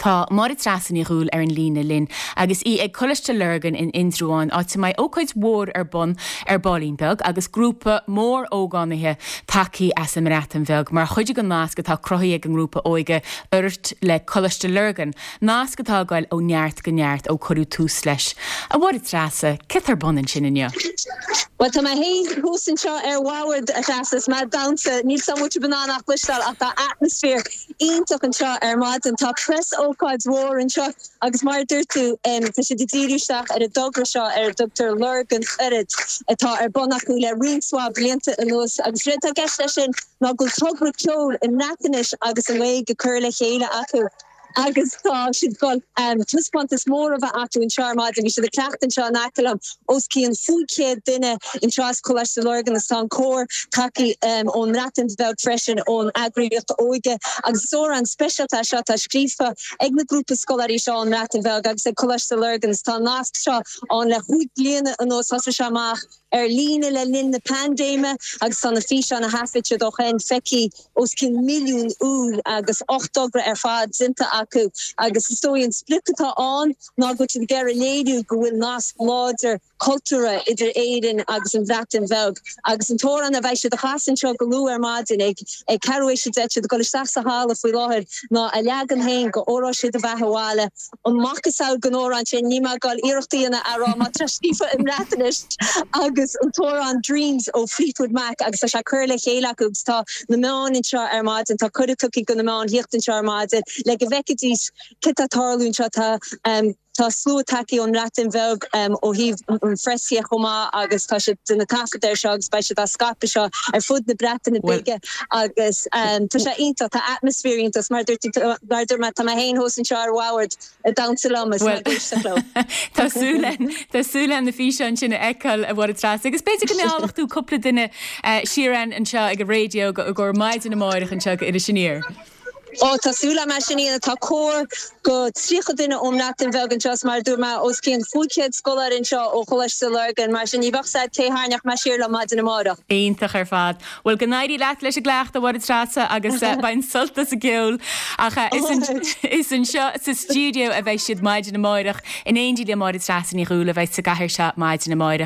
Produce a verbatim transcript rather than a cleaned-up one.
Tá Máire Treasa Ní Dhúill ar an líne linn agus í ag Coláiste Lurgan in Indreabhán áit a mbeidh ócáid mhór ar bun ar baillín beag agus grúpa mór ógánaithe tagtha as an mBreatain Bheag mar chuid den nasc atá cruthaithe ag an ngrúpa óige Urairt le Coláiste Lurgan, nasc atá ag dul ó neart go neart ó cuireadh tús leis. A Mháire Treasa, cad tá ar bun ansin inniu. Well tá mé féin thuas anseo ar bhord a Threasa is mé ag damhsa níl muid in ann ach cloisteáil ach tá atmaisféar iontach anseo ar maidin tá preasócáid mhór anseo agus mar dúirt tú tá siad ag díriú isteach ar an dtogra seo ar a dtugtar Lurgan Oiread atá ar bun acu le roinnt mhaith blianta anuas agus rud atá i gceist leis sin ná go togra ceoil i mBreatnais agus i nGaeilge curtha le chéile acu. agus tá siad ag dul taispeántas mór a bheith acu anseo ar maidin, bhí siad ag cleachtadh anseo in aice liom os cionn cúig chéad duine anseo as Coláiste Lurgan agus tá an cór tagtha ón mBreatain Bheag freisin ón eagraíocht óige agus is amhrán speisialta é seo atá scríofa ag na grúpa scoláirí seo ón mBreatain Bheag agus ag Coláiste Lurgan agus tá an nasc seo ann le cúig bliana anuas thosaigh sé amach ar líne le linn na paindéime agus tá na físeáin a thaifead siad ó shin feicthe os cionn milliún uair agus ocht dtogra ar fad déanta acu agus is dóigh an sprioc atá ann ná go bhfuil siad ag iarraidh léiriú go bhfuil nasc láidir cultúrtha idir Éirinn agus an Bhreatain Bheag agus an t-amhrán a bheidh siad a chasadh anseo go luath ar maidin ag ag ceathrú théis a deich siad ag dul isteach sa halla faoi láthair ná a leagan féin de Óró Sé do Bheatha 'Bhaile an macasamhail den amhrán sin níl mé ag dul iarracht a dhéanamh a rá má tá scríofa i mBreatnais agus an t-amhrán Dreams ó Fleetwood Mac agus tá sé curtha le chéile acu agus tá na meáin anseo ar maidin tá cuireadh tugtha do na meáin theacht anseo ar maidin le go bhfeicfidís cad tá ag tarlú anseo tá um, Tá slua tagtha ón mBreatain Bheag um, ó thaobh an phreas de chomh maith agus tá siad ag déanamh taifead air seo agus beidh siad á scaipeadh seo ar fud na Breataine Bige agus um, tá sé iontach tá atmaisféar iontach mar dúirt mar dúirt mé tá mé féin thuas anseo ar bhord ag damhsa liom is Well, Tá súil Tá súil na físeáin sin a fheiceáil a Mháire Treasa agus b'fhéidir go meallfaidh tú cúpla duine eh, siar anseo ag an raidió go go maidin amárach anseo go Iris Aniar. Ó tá súil agam sin tá cór go tríocha duine ón mBreatain Bheag anseo mar dúirt mé os cionn cúig chéad scoláire anseo ó Choláiste Lurgan mar sin ní bheadh sé cé hairneach me siar le maidin amárach. Iontach ar fad. Well go n-éirí leat leis an gcleachtadh a Mháire Treasa agus uh, bain sult as an gceol ach uh, is anseo sa studio a bheidh siad maidin amárach in éindí le Máire Treasa Ní Dhúill a bheidh sa gcathair seo maidin amárach.